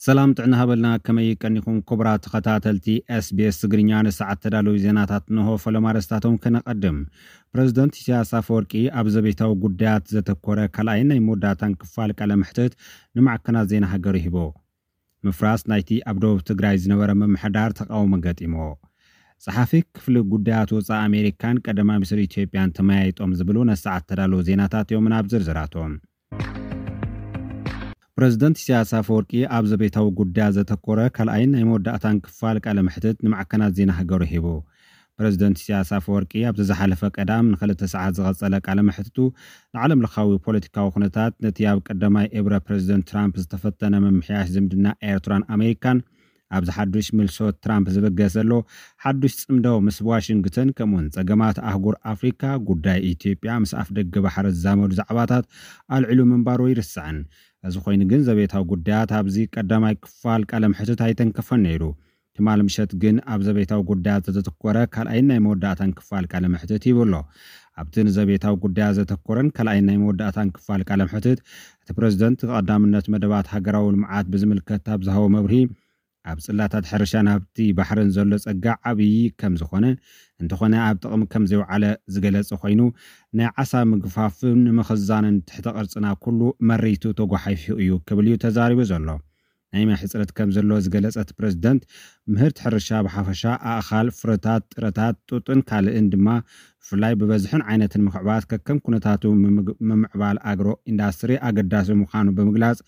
ሰላም ጥዕና ሃበልና፣ ከመይ ቀኒኹም ክቡራት ተኸታተልቲ ኤስቢኤስ ትግርኛ? ንሰዓት ተዳለዉ ዜናታት እንሆ። ፈለማ ኣርእስታቶም ከነቐድም። ፕረዚደንት ኢሳያስ ኣፈወርቂ ኣብ ዘቤታዊ ጉዳያት ዘተኮረ ካልኣይን ናይ መወዳእታን ክፋል ቃለ መሕትት ንማዕከናት ዜና ሃገሩ ሂቡ። ምፍራስ ናይቲ ኣብ ደቡብ ትግራይ ዝነበረ ምምሕዳር ተቃውሞ ገጢሞ። ጸሓፊ ክፍሊ ጉዳያት ወጻኢ ኣሜሪካን ቀዳማይ ሚኒስትር ኢትዮጵያን ተመያይጦም ዝብሉ ነሰዓት ተዳለዉ ዜናታት እዮም። ናብ ዝርዝራቶም። ፕረዚደንት ኢሳያስ ኣፈወርቂ ኣብ ዘቤታዊ ጉዳያት ዘተኮረ ካልኣይን ናይ መወዳእታን ክፋል ቃለ መሕትት ንማዕከናት ዜና ሃገሩ ሂቡ። ፕረዚደንት ኢሳያስ ኣፈወርቂ ኣብቲ ዝሓለፈ ቀዳም ንክልተ ሰዓት ዝቐጸለ ቃለ መሕትቱ ንዓለም ለኻዊ ፖለቲካዊ ኩነታት፣ ነቲ ኣብ ቀዳማይ ኤብረ ፕረዚደንት ትራምፕ ዝተፈተነ ምምሕያሽ ዝምድና ኤርትራን ኣሜሪካን፣ ኣብዚ ሓዱሽ ምልሶ ትራምፕ ዝብገስ ዘሎ ሓዱሽ ጽምዶ ምስ ዋሽንግተን፣ ከምኡውን ጸገማት ኣህጉር ኣፍሪካ፣ ጉዳይ ኢትዮጵያ፣ ምስ ኣፍደገ ባሕሪ ዝዛመዱ ዛዕባታት ኣልዒሉ ምንባሩ ይርስዕን። እዚ ኮይኑ ግን ዘቤታዊ ጉዳያት ኣብዚ ቀዳማይ ክፋል ቃለ መሕትት ኣይተንከፈን ነይሩ። ትማል ምሸት ግን ኣብ ዘቤታዊ ጉዳያት ዘተኮረ ካልኣይን ናይ መወዳእታን ክፋል ቃለ መሕትት ሂቡ ኣሎ። ኣብቲ ንዘቤታዊ ጉዳያት ዘተኮረን ካልኣይን ናይ መወዳእታን ክፋል ቃለ መሕትት፣ እቲ ፕረዚደንት ቀዳምነት መደባት ሃገራዊ ልምዓት ብዝምልከት ኣብ ዝሃቦ መብርሂ፣ ኣብ ጽላታት ሕርሻን ሃብቲ ባሕርን ዘሎ ጸጋ ዓብዪ ከም ዝኾነ፣ እንተኾነ ኣብ ጥቕሚ ከም ዘይውዓለ ዝገለጸ ኮይኑ፣ ናይ ዓሳ ምግፋፍን ምኽዛንን ትሕተ ቅርጽና ኩሉ መሪቱ ተጓሒፉ እዩ ክብል እዩ ተዛሪቡ ዘሎ። ናይ ማይ ሕጽረት ከም ዘሎ ዝገለጸ እቲ ፕረዚደንት፣ ምህርቲ ሕርሻ ብሓፈሻ፣ ኣእኻል፣ ፍረታት፣ ጥረታት፣ ጡጥን ካልእን ድማ ብፍላይ ብበዝሕን ዓይነትን ምኽዕባት ከከም ኩነታቱ ምምግ-፣ ምምዕባል ኣግሮ ኢንዳስትሪ ኣገዳሲ ምዃኑ ብምግላጽ፣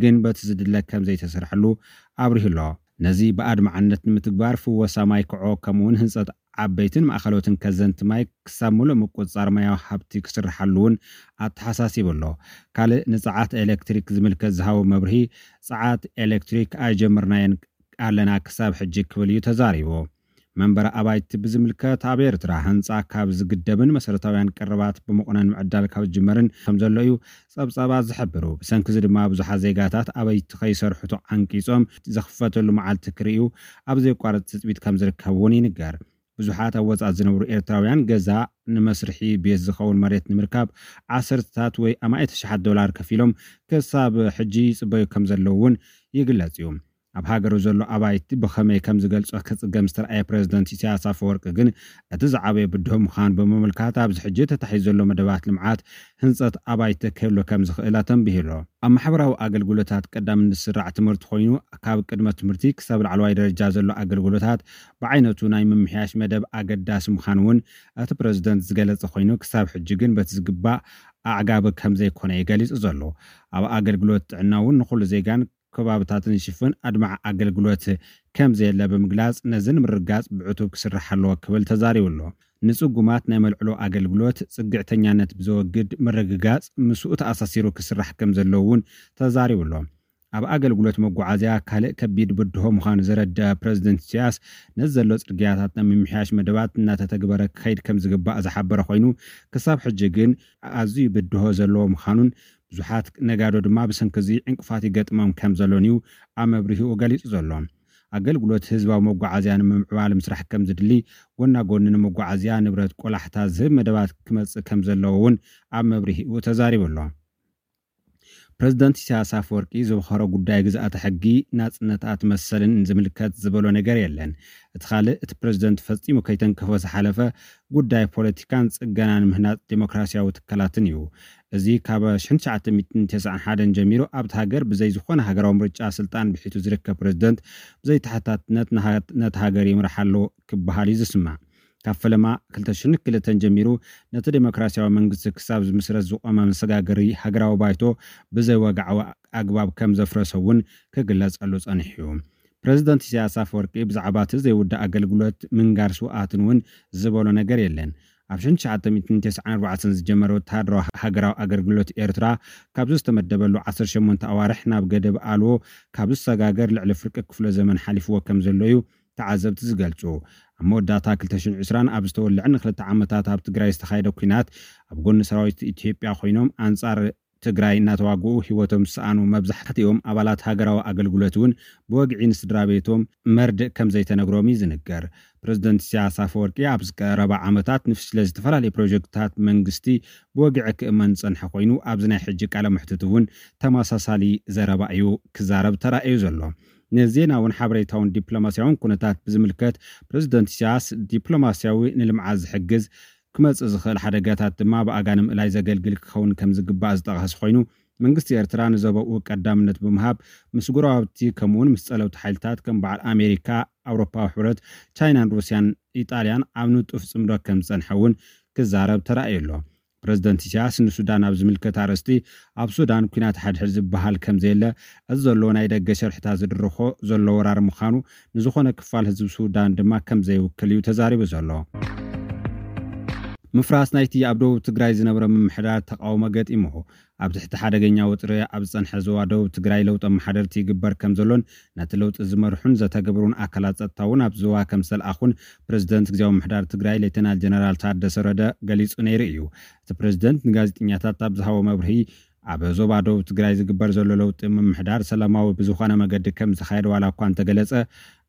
ግን በቲ ዝድለ ከም ዘይተሰርሐሉ ኣብሪሁ ኣሎ። ነዚ ብኣድማዕነት ንምትግባር ፍወሳ ማይ ክዖ ከምኡውን ህንጸት ዓበይትን ማእኸሎትን ከዘንቲ ማይ ክሳብ ምሉእ ምቁጽጻር ማያዊ ሃብቲ ክስርሓሉ እውን ኣተሓሳሲቡ ኣሎ። ካልእ ንጸዓት ኤሌክትሪክ ዝምልከት ዝሃቦ መብርሂ፣ ጸዓት ኤሌክትሪክ ኣይጀመርናዮን ኣለና ክሳብ ሕጂ ክብል እዩ ተዛሪቡ። መንበሪ ኣባይቲ ብዝምልከት፣ ኣብ ኤርትራ ህንጻ ካብ ዝግደብን መሰረታውያን ቀረባት ብመቑነን ምዕዳል ካብ ዝጅመርን ከም ዘሎ እዩ ጸብጻባት ዝሕብሩ። ብሰንኪ እዚ ድማ ብዙሓት ዜጋታት ኣባይቲ ከይሰርሑ ተዓንቂጾም ዝኽፈተሉ መዓልቲ ክርእዩ ኣብ ዘየቋርጽ ትጽቢት ከም ዝርከብ እውን ይንገር። ብዙሓት ኣብ ወጻኢ ዝነብሩ ኤርትራውያን ገዛ ንመስርሒ ቤት ዝኸውን መሬት ንምርካብ ዓሰርተታት ወይ ኣማኢት ኣሽሓት ዶላር ከፊሎም ክሳብ ሕጂ ይጽበዩ ከም ዘለዉ እውን ይግለጽ እዩ። ኣብ ሃገሩ ዘሎ ኣባይቲ ብኸመይ ከም ዝገልጾ ክጽገም ዝተረኣየ ፕረዚደንት ኢሳያስ ኣፈወርቂ ግን፣ እቲ ዝዓበየ ብድሆ ምዃኑ ብምምልካት፣ ኣብዚ ሕጂ ተታሒዙ ዘሎ መደባት ልምዓት ህንጸት ኣባይቲ ክህሉ ከም ዝኽእል ኣተንቢሁ ኣሎ። ኣብ ማሕበራዊ ኣገልግሎታት ቀዳምነት ዝስራዕ ትምህርቲ ኮይኑ፣ ካብ ቅድመ ትምህርቲ ክሳብ ላዕለዋይ ደረጃ ዘሎ ኣገልግሎታት ብዓይነቱ ናይ ምምሕያሽ መደብ ኣገዳሲ ምዃኑ እውን እቲ ፕረዚደንት ዝገለጸ ኮይኑ፣ ክሳብ ሕጂ ግን በቲ ዝግባእ ኣዕጋቢ ከም ዘይኮነ እዩ ገሊጹ ዘሎ። ኣብ ኣገልግሎት ጥዕና እውን ንኹሉ ዜጋን ከባብታትን ዝሽፍን ኣድማዒ ኣገልግሎት ከም ዘየለ ብምግላጽ፣ ነዚ ንምርግጋጽ ብዕቱብ ክስራሕ ኣለዎ ክብል ተዛሪቡ ኣሎ። ንጽጉማት ናይ መልዕሎ ኣገልግሎት ጽግዕተኛነት ብዘወግድ ምርግጋጽ ምስኡ ተኣሳሲሩ ክስራሕ ከም ዘለዎ እውን ተዛሪቡ ኣሎ። ኣብ ኣገልግሎት መጓዓዝያ ካልእ ከቢድ ብድሆ ምዃኑ ዘረድአ ፕረዚደንት ኢሳያስ፣ ነዚ ዘሎ ጽርግያታት ናይ ምምሕያሽ መደባት እናተተግበረ ክኸይድ ከም ዝግባእ ዝሓበረ ኮይኑ፣ ክሳብ ሕጂ ግን ኣዝዩ ብድሆ ዘለዎ ምዃኑን ብዙሓት ነጋዶ ድማ ብሰንኪ እዚ ዕንቅፋት ይገጥሞም ከም ዘሎን እዩ ኣብ መብርሂኡ ገሊጹ ዘሎ። ኣገልግሎት ህዝባዊ መጓዓዝያ ንምምዕባል ምስራሕ ከም ዝድሊ፣ ጎና ጎኒ ንመጓዓዝያ ንብረት ቆላሕታ ዝህብ መደባት ክመጽእ ከም ዘለዎ እውን ኣብ መብርሂኡ ተዛሪቡ ኣሎ። ፕረዚደንት ኢሳያስ ኣፈወርቂ ዝኸሮ ጉዳይ ግዝኣተ ሕጊ፣ ናጽነታት መሰልን ዝምልከት ዝበሎ ነገር የለን። እቲ ካልእ፣ እቲ ፕረዚደንት ፈጺሙ ከይተንከፎ ዝሓለፈ ጉዳይ ፖለቲካን ጽገናን ምህናጽ ዴሞክራሲያዊ ትካላትን እዩ። እዚ ካብ ሽሕን ትሽዓተ ሚእትን ተስዓን ሓደን ጀሚሩ ኣብቲ ሃገር ብዘይ ዝኾነ ሃገራዊ ምርጫ ስልጣን ብሒቱ ዝርከብ ፕረዚደንት ብዘይ ተሓታትነት ንሃ-፣ ነቲ ሃገር ይምራሕ ኣሎ ክበሃል እዩ ዝስማዕ። ካብ ፈለማ ክልተ ሽሕን ክልተን ጀሚሩ ነቲ ዴሞክራሲያዊ መንግስቲ ክሳብ ዝምስረት ዝቖመ መሰጋገሪ ሃገራዊ ባይቶ ብዘይ ወግዓዊ ኣግባብ ከም ዘፍረሰ እውን ክግለጸሉ ጸኒሑ እዩ። ፕረዚደንት ኢሳያስ ኣፈወርቂ ብዛዕባ እቲ ዘይውዳእ ኣገልግሎት ምንጋር ስውኣትን እውን ዝበሎ ነገር የለን። ኣብ ሽሕን ትሽዓተ ሚእትን ተስዓን ኣርባዕተን ዝጀመረ ወተሃደራዊ ሃገራዊ ኣገልግሎት ኤርትራ፣ ካብዚ ዝተመደበሉ ዓሰርተ ሸሞንተ ኣዋርሕ ናብ ገደብ ኣልቦ ካብ ዝሰጋገር ልዕሊ ፍርቂ ክፍለ ዘመን ሓሊፍዎ ከም ዘሎ እዩ ተዓዘብቲ ዝገልጹ። ኣብ መወዳእታ ክልተ ሽሕን ዕስራን ኣብ ዝተወልዐ ንክልተ ዓመታት ኣብ ትግራይ ዝተኻየደ ኲናት፣ ኣብ ጎኒ ሰራዊት ኢትዮጵያ ኮይኖም ኣንጻር ትግራይ እናተዋግኡ ህይወቶም ዝሰኣኑ መብዛሕትኦም ኣባላት ሃገራዊ ኣገልግሎት እውን ብወግዒ ንስድራ ቤቶም መርድእ ከም ዘይተነግሮም እዩ ዝንገር። ፕሬዝደንት ኢሳያስ ኣፈወርቂ ኣብዚ ቀረባ ዓመታት ንፍሽለ ዝተፈላለዩ ፕሮጀክትታት መንግስቲ ብወግዒ ክእመን ዝጸንሐ ኮይኑ፣ ኣብዚ ናይ ሕጂ ቃለ መሕትት እውን ተመሳሳሊ ዘረባ እዩ ክዛረብ ተራእዩ ዘሎ። ንዜናውን ሓበሬታውን ዲፕሎማስያውን ኩነታት ብዝምልከት፣ ፕሬዝደንት ኢሳያስ ዲፕሎማስያዊ ንልምዓት ዝሕግዝ ክመጽእ ዝኽእል ሓደጋታት ድማ ብኣጋ ንምእላይ ዘገልግል ክኸውን ከም ዝግባእ ዝጠቐሰ ኮይኑ፣ መንግስቲ ኤርትራ ንዘበኡ ቀዳምነት ብምሃብ ምስ ጎረባብቲ ከምኡውን ምስ ጸለውቲ ሓይልታት ከም በዓል ኣሜሪካ፣ ኣውሮፓዊ ሕብረት፣ ቻይናን ሩስያን ኢጣልያን ኣብ ንጡፍ ጽምዶ ከም ዝጸንሐ እውን ክዛረብ ተራእዩ ኣሎ። ፕሬዝደንት ኢሳያስ ንሱዳን ኣብ ዝምልከት ኣርእስቲ፣ ኣብ ሱዳን ኲናት ሓድሕድ ዝበሃል ከም ዘየለ፣ እዚ ዘሎ ናይ ደገ ሸርሕታት ዝድርኾ ዘሎ ወራር ምዃኑ፣ ንዝኾነ ክፋል ህዝቢ ሱዳን ድማ ከም ዘይውክል እዩ ተዛሪቡ ዘሎ። ምፍራስ ናይቲ ኣብ ደቡብ ትግራይ ዝነበረ ምምሕዳር ተቃውሞ ገጢምዎ። ኣብ ትሕቲ ሓደገኛ ወጥሪ ኣብ ዝጸንሐ ዞባ ደቡብ ትግራይ ለውጢ ኣመሓደርቲ ይግበር ከም ዘሎን ነቲ ለውጢ ዝመርሑን ዘተገብሩን ኣካላት ጸጥታ እውን ኣብ ዞባ ከም ዝተልኣኹን ፕሬዝደንት ግዝያዊ ምምሕዳር ትግራይ ሌተናል ጀነራል ታደሰ ወረደ ገሊጹ ነይሩ እዩ። እቲ ፕሬዝደንት ንጋዜጠኛታት ኣብ ዝሃቦ መብርሂ፣ ኣብ ዞባ ደቡብ ትግራይ ዝግበር ዘሎ ለውጢ ምምሕዳር ሰላማዊ ብዝኾነ መገዲ ከም ዝኻየድ ዋላ እኳ እንተገለጸ፣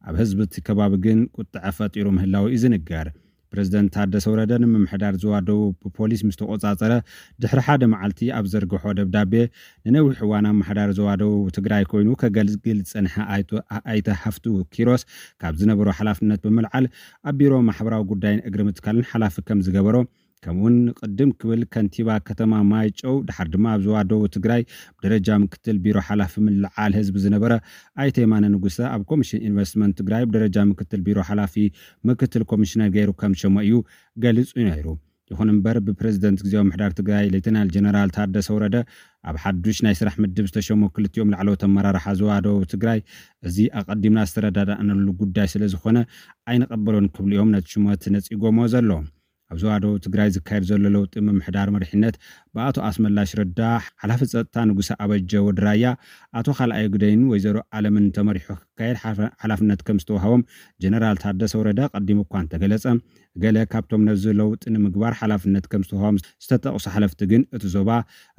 ኣብ ህዝቢ እቲ ከባቢ ግን ቁጥዐ ፈጢሩ ምህላው እዩ ዝንገር። ፕሬዝደንት ታደሰ ወረደ ንምምሕዳር ዞባ ደቡብ ብፖሊስ ምስ ተቆጻጸረ ድሕሪ ሓደ መዓልቲ ኣብ ዘርግሖ ደብዳቤ፣ ንነዊሕ እዋን ኣመሓዳሪ ዞባ ደቡብ ትግራይ ኮይኑ ከገልግል ዝጸንሐ ኣይተ-፣ ኣይተ ሃፍቱ ኪሮስ ካብ ዝነበሮ ሓላፍነት ብምልዓል ኣብ ቢሮ ማሕበራዊ ጉዳይን እግሪ ምትካልን ሓላፊ ከም ዝገበሮ፣ ከምኡውን ቅድም ክብል ከንቲባ ከተማ ማይጨው፣ ድሓር ድማ ኣብ ዞባ ደቡብ ትግራይ ብደረጃ ምክትል ቢሮ ሓላፊ ምልዓል ህዝቢ ዝነበረ ኣይተ የማነ ንጉሰ ኣብ ኮሚሽን ኢንቨስትመንት ትግራይ ብደረጃ ምክትል ቢሮ ሓላፊ ምክትል ኮሚሽነር ገይሩ ከም ዝሸሞ እዩ ገሊጹ ነይሩ። ይኹን እምበር፣ ብፕሬዝደንት ግዝያዊ ምምሕዳር ትግራይ ሌተናል ጀነራል ታደሰ ወረደ ኣብ ሓዱሽ ናይ ስራሕ ምድብ ዝተሸሙ ክልቲኦም ላዕለዎት ኣመራርሓ ዞባ ደቡብ ትግራይ፣ እዚ ኣቐዲምና ዝተረዳዳእናሉ ጉዳይ ስለ ዝኾነ ኣይንቐበሎን ክብሉ እዮም ነቲ ሽመት ነጺጎሞ ዘለዉ። ኣብ ዞባ ደቡብ ትግራይ ዝካየድ ዘሎ ለውጢ ምምሕዳር መሪሕነት ብኣቶ ኣስመላሽ ረዳ፣ ሓላፊ ጸጥታ ንጉሰ ኣበጀ ወዲ ራያ፣ ኣቶ ካልኣዮ ግደይን ወይዘሮ ኣለምን ተመሪሑ ክካየድ ሓፈ-፣ ሓላፍነት ከም ዝተዋህቦም ጀነራል ታደሰ ወረደ ቀዲሙ እኳ እንተገለጸ፣ ገለ ካብቶም ነዚ ለውጢ ንምግባር ሓላፍነት ከም ዝተዋህቦም ዝተጠቕሱ ሓለፍቲ ግን፣ እቲ ዞባ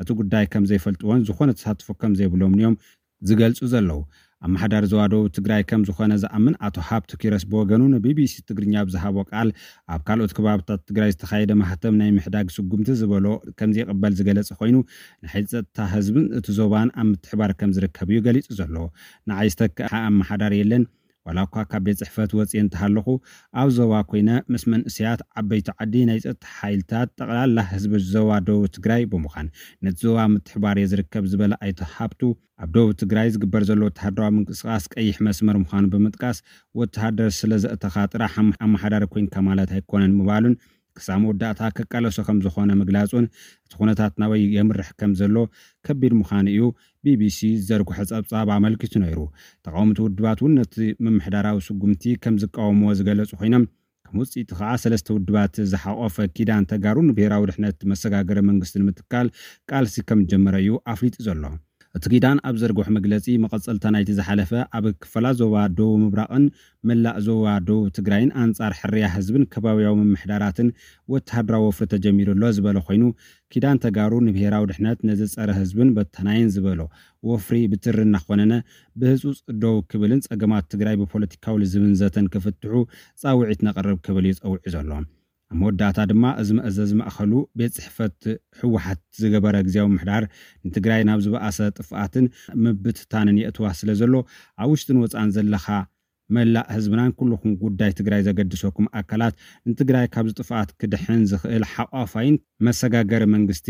እቲ ጉዳይ ከም ዘይፈልጥዎን ዝኾነ ተሳትፎ ከም ዘይብሎምን እዮም ዝገልጹ ዘለዉ። ኣመሓዳሪ ዞባ ደቡብ ትግራይ ከም ዝኾነ ዝኣምን ኣቶ ሃብቱ ኪሮስ ብወገኑ ንቢቢሲ ትግርኛ ብዝሃቦ ቃል፣ ኣብ ካልኦት ከባብታት ትግራይ ዝተኻየደ ማህተም ናይ ምሕዳግ ስጉምቲ ዝበሎ ከም ዘይቕበል ዝገለጸ ኮይኑ፣ ንሓይሊ ጸጥታ ህዝብን እቲ ዞባን ኣብ ምትሕባር ከም ዝርከብ እዩ ገሊጹ ዘሎ። ንዓይ ዝተክአ ኣመሓዳሪ የለን። ዋላ እኳ ካብ ቤት ጽሕፈት ወጽየ እንተሃለኹ፣ ኣብ ዞባ ኮይነ ምስ መንእሰያት፣ ዓበይቲ ዓዲ፣ ናይ ጸጥታ ሓይልታት፣ ጠቕላላ ህዝቢ ዞባ ደቡብ ትግራይ ብምዃን ነቲ ዞባ ምትሕባር እየ ዝርከብ ዝበለ ኣይተ ሃብቱ፣ ኣብ ደቡብ ትግራይ ዝግበር ዘሎ ወተሃደራዊ ምንቅስቓስ ቀይሕ መስመር ምዃኑ ብምጥቃስ፣ ወተሃደር ስለ ዘእተኻ ጥራሕ ኣም-፣ ኣመሓዳሪ ኮይንካ ማለት ኣይኮነን ምባሉን፣ ክሳብ መወዳእታ ክቃለሶ ከም ዝኾነ ምግላጹን፣ እቲ ኩነታት ናበይ የምርሕ ከም ዘሎ ከቢድ ምዃኑ እዩ ቢቢሲ ዝዘርግሖ ጸብጻብ ኣመልኪቱ ነይሩ። ተቃወምቲ ውድባት እውን ነቲ ምምሕዳራዊ ስጉምቲ ከም ዝቃወምዎ ዝገለጹ ኮይኖም፣ ከም ውጽኢቱ ከኣ ሰለስተ ውድባት ዝሓቆፈ ኪዳን ተጋሩ ንብሄራዊ ድሕነት መሰጋገሪ መንግስቲ ንምትካል ቃልሲ ከም ዝጀመረ እዩ ኣፍሊጡ ዘሎ። እቲ ኪዳን ኣብ ዘርግሖ መግለጺ፣ መቐጸልታ ናይቲ ዝሓለፈ ኣብ ክፋላት ዞባ ደቡብ ምብራቕን መላእ ዞባ ደቡብ ትግራይን ኣንጻር ሕርያ ህዝብን ከባብያዊ ምምሕዳራትን ወተሃደራዊ ወፍሪ ተጀሚሩ ኣሎ ዝበለ ኮይኑ፣ ኪዳን ተጋሩ ንብሄራዊ ድሕነት ነዚ ጸረ ህዝብን በታናይን ዝበሎ ወፍሪ ብትሪ እናኾነነ ብህጹጽ ደው ክብልን ጸገማት ትግራይ ብፖለቲካዊ ልዝብን ዘተን ክፍትሑ ጻውዒት ነቕርብ ክብል እዩ ጸዊዑ ዘሎ። ኣብ መወዳእታ ድማ፣ እዚ መእዘዚ ማእኸሉ ቤት ጽሕፈት ህወሓት ዝገበረ ግዝያዊ ምምሕዳር ንትግራይ ናብ ዝበኣሰ ጥፍኣትን ምብትታንን የእትዋ ስለ ዘሎ፣ ኣብ ውሽጥን ወጻእን ዘለኻ መላእ ህዝብናን ኩልኹም ጉዳይ ትግራይ ዘገድሰኩም ኣካላት ንትግራይ ካብዚ ጥፍኣት ክድሕን ዝኽእል ሓቋፋይን መሰጋገሪ መንግስቲ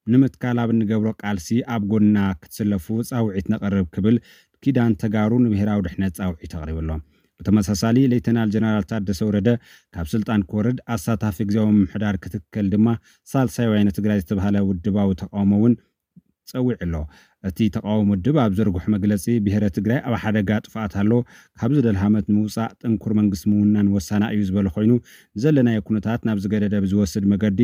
ንምትካል ኣብ እንገብሮ ቃልሲ ኣብ ጎንና ክትስለፉ ጻውዒት ነቕርብ ክብል ኪዳን ተጋሩ ንብሄራዊ ድሕነት ጻውዒት ኣቕሪቡ ኣሎ። ብተመሳሳሊ፣ ሌተናል ጀነራል ታደሰ ወረደ ካብ ስልጣን ክወርድ፣ ኣሳታፊ ግዝያዊ ምምሕዳር ክትከል ድማ ሳልሳይ ወያነ ትግራይ ዝተባህለ ውድባዊ ተቃውሞ እውን ጸዊዑ ኣሎ። እቲ ተቃውሞ ውድብ ኣብ ዘርግሖ መግለጺ፣ ብሄረ ትግራይ ኣብ ሓደጋ ጥፍኣት ኣሎ፣ ካብዚ ደልሃመት ንምውጻእ ጥንኩር መንግስቲ ምውናን ወሳና እዩ ዝበለ ኮይኑ፣ ዘለናዮ ኩነታት ናብ ዝገደደ ብዝወስድ መገዲ፣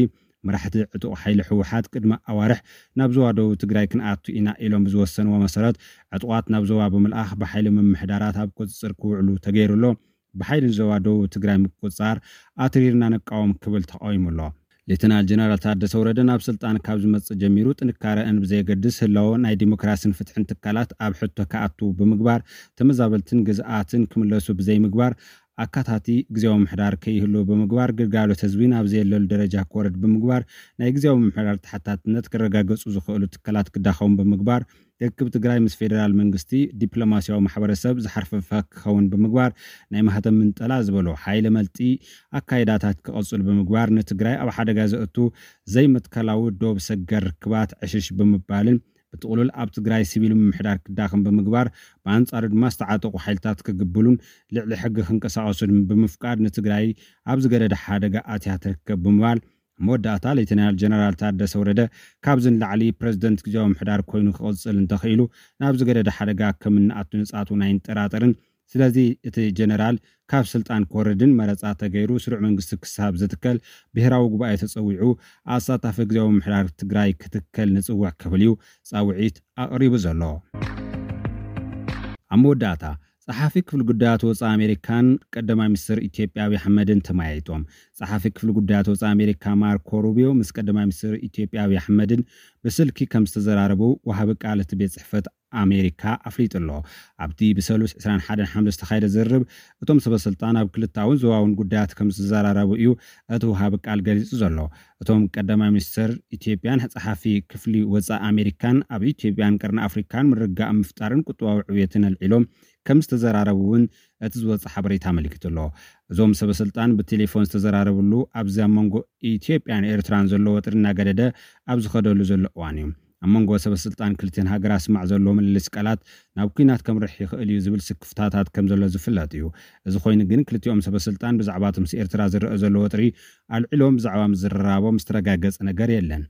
መራሕቲ ዕጡቕ ሓይሊ ህወሓት ቅድሚ ኣዋርሕ ናብ ዞባ ደቡብ ትግራይ ክንኣቱ ኢና ኢሎም ብዝወሰንዎ መሰረት፣ ዕጡቓት ናብ ዞባ ብምልኣኽ ብሓይሊ ምምሕዳራት ኣብ ቁጽጽር ክውዕሉ ተገይሩ ኣሎ። ብሓይሊ ንዞባ ደቡብ ትግራይ ምቁጽጻር ኣትሪርና ንቃወም ክብል ተቃዊሙ ኣሎ። ሌተናል ጀነራል ታደሰ ወረደ ናብ ስልጣን ካብ ዝመጽእ ጀሚሩ ጥንካረአን ብዘየገድስ ህላወ ናይ ዲሞክራሲን ፍትሕን ትካላት ኣብ ሕቶ ክኣቱ ብምግባር፣ ተመዛበልትን ግዝኣትን ክምለሱ ብዘይምግባር፣ ኣካታቲ ግዜያዊ ምምሕዳር ከይህሉ ብምግባር፣ ግልጋሎት ህዝቢ ናብ ዘየለሉ ደረጃ ክወርድ ብምግባር፣ ናይ ግዜያዊ ምምሕዳር ተሓታትነት ክረጋገጹ ዝኽእሉ ትካላት ክዳኸሙ ብምግባር፣ ርክብ ትግራይ ምስ ፌደራል መንግስቲ ዲፕሎማሲያዊ ማሕበረሰብ ዝሓርፈፈ ክኸውን ብምግባር፣ ናይ ማህተም ምንጠላ ዝበሎ ሓይለ መልጢ ኣካይዳታት ክቐጽሉ ብምግባር፣ ንትግራይ ኣብ ሓደጋ ዘእቱ ዘይመትከላዊ ዶብ ሰገር ርክባት ዕሽሽ ብምባልን ብጥቕሉል ኣብ ትግራይ ሲቪል ምምሕዳር ክዳኸም ብምግባር፣ ብኣንጻሩ ድማ ዝተዓጠቑ ሓይልታት ክግብሉን ልዕሊ ሕጊ ክንቀሳቐሱን ብምፍቃድ ንትግራይ ኣብ ዝገደደ ሓደጋ ኣትያ ትርከብ ብምባል፣ መወዳእታ ሌተናል ጀነራል ታደሰ ወረደ ካብዚ ንላዕሊ ፕረዚደንት ግዜያዊ ምምሕዳር ኮይኑ ክቕጽል እንተኽኢሉ ናብ ዝገደደ ሓደጋ ከም እንኣቱ ንጻቱ ኣይንጠራጠርን። ስለዚ እቲ ጀነራል ካብ ስልጣን ክወርድን መረጻ ተገይሩ ስሩዕ መንግስቲ ክሳብ ዝትከል ብሄራዊ ጉባኤ ተጸዊዑ ኣሳታፊ ግዜያዊ ምምሕዳር ትግራይ ክትከል ንጽውዕ ክብል እዩ ጻውዒት ኣቕሪቡ ዘሎ። ኣብ መወዳእታ ጸሓፊ ክፍሊ ጉዳያት ወጻኢ ኣሜሪካን ቀዳማይ ሚኒስትር ኢትዮጵያ ኣብይ ኣሕመድን ተመያይጦም። ጸሓፊ ክፍሊ ጉዳያት ወጻኢ ኣሜሪካ ማርኮ ሩቢዮ ምስ ቀዳማይ ሚኒስትር ኢትዮጵያ ኣብይ ኣሕመድን ብስልኪ ከም ዝተዘራረቡ ወሃቢ ቃል እቲ ቤት ጽሕፈት ኣሜሪካ ኣፍሊጡ ኣሎ። ኣብቲ ብሰሉስ ዕስራን ሓደን ሓምለ ዝተኻየደ ዝርርብ እቶም ሰበ ስልጣን ኣብ ክልታውን ዞባውን ጉዳያት ከም ዝተዘራረቡ እዩ እቲ ወሃቢ ቃል ገሊጹ ዘሎ። እቶም ቀዳማይ ሚኒስትር ኢትዮጵያን ጸሓፊ ክፍሊ ወጻኢ ኣሜሪካን ኣብ ኢትዮጵያን ቀርኒ ኣፍሪካን ምርግጋእ ምፍጣርን ቁጠባዊ ዕብየትን ኣልዒሎም ከም ዝተዘራረቡ እውን እቲ ዝወፀ ሓበሬታ ኣመልኪቱ ኣሎ። እዞም ሰበ ስልጣን ብቴሌፎን ዝተዘራረብሉ ኣብዚ ኣብ መንጎ ኢትዮጵያን ኤርትራን ዘሎ ወጥሪ እናገደደ ኣብ ዝኸደሉ ዘሎ እዋን እዩ። ኣብ መንጎ ሰበ ስልጣን ክልቲኦን ሃገራት ስማዕ ዘሎ ምልልስ ቃላት ናብ ኲናት ከምርሕ ይኽእል እዩ ዝብል ስክፍታታት ከም ዘሎ ዝፍለጥ እዩ። እዚ ኮይኑ ግን ክልቲኦም ሰበ ስልጣን ብዛዕባ እቲ ምስ ኤርትራ ዝረአ ዘሎ ወጥሪ ኣልዒሎም ብዛዕባ ምዝርራቦም ዝተረጋገጸ ነገር የለን።